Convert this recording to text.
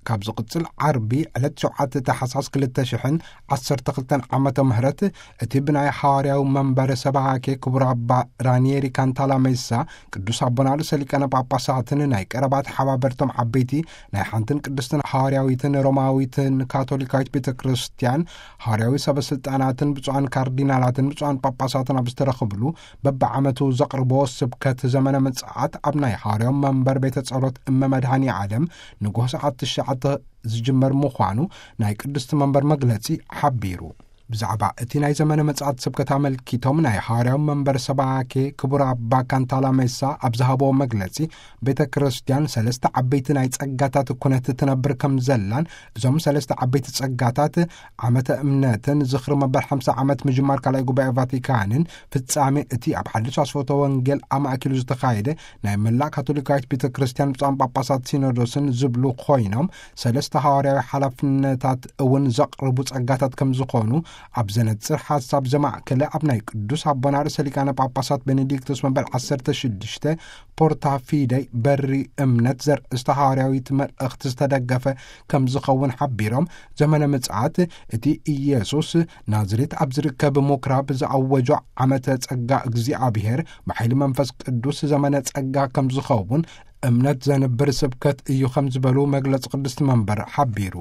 ካብ ዝቕጽል ዓርቢ ዕለት ሸውዓተ ታሕሳስ ክልተ ሽሕን ዓሰርተ ክልተን ዓመተ ምህረት እቲ ብናይ ሓዋርያዊ መንበር ሰባኬ ክቡር ኣባ ራኒየሪ ካንታላ ሜሳ ቅዱስ ኣቦና ርእሰ ሊቃነ ጳጳሳትን ናይ ቀረባ ተሓባበርቶም ዓበይቲ ናይ ሓንትን ቅድስትን ሓዋርያዊትን ሮማዊትን ካቶሊካዊት ቤተ ክርስቲያን ሓዋርያዊ ሰበ ስልጣናትን ብፁዓን ካርዲናላትን ብፁዓን ጳጳሳትን ኣብ ዝተረኽብሉ በብዓመቱ ዘቕርቦ ስብከት ዘመነ ምጽኣት ኣብ ናይ ሓዋርያዊ መንበር ቤተ ጸሎት እመ መድኃኔ ዓለም ንግሆ ሰዓት ትሽዓተ ዝጅመር ምዃኑ ናይ ቅድስቲ መንበር መግለጺ ሓቢሩ። ብዛዕባ እቲ ናይ ዘመነ ምጽኣት ስብከት ኣመልኪቶም ናይ ሓዋርያዊ መንበር ሰባኬ ክቡር ኣባ ካንታላ ሜሳ ኣብ ዝሃብዎ መግለጺ፣ ቤተ ክርስቲያን ሰለስተ ዓበይቲ ናይ ጸጋታት ኩነት ትነብር ከም ዘላን እዞም ሰለስተ ዓበይቲ ጸጋታት ዓመተ እምነትን ዝኽሪ መበል ሓምሳ ዓመት ምጅማር ካልኣይ ጉባኤ ቫቲካንን ፍጻሜ እቲ ኣብ ሓድሽ ኣስፈቶ ወንጌል ኣማእኪሉ ዝተኻየደ ናይ መላእ ካቶሊካዊት ቤተ ክርስቲያን ብፁዓን ጳጳሳት ሲኖዶስን ዝብሉ ኮይኖም፣ ሰለስተ ሃዋርያዊ ሓላፍነታት እውን ዘቕርቡ ጸጋታት ከም ዝኾኑ ኣብ ዘነጽር ሓሳብ ዘማእከለ ኣብ ናይ ቅዱስ ኣቦና ርእሰ ሊቃነ ጳጳሳት ቤኔዲክቶስ መበል ዓሰርተ ሽዱሽተ ፖርታ ፊደይ በሪ እምነት ዘርእስተ ሃዋርያዊት መልእኽቲ ዝተደገፈ ከም ዝኸውን ሓቢሮም፣ ዘመነ ምጽኣት እቲ ኢየሱስ ናዝሬት ኣብ ዝርከብ ምኩራብ ዝኣወጆ ዓመተ ጸጋ እግዚኣብሔር ብሓይሊ መንፈስ ቅዱስ ዘመነ ጸጋ ከም ዝኸውን እምነት ዘንብር ስብከት እዩ ከም ዝበሉ መግለጺ ቅድስቲ መንበር ሓቢሩ።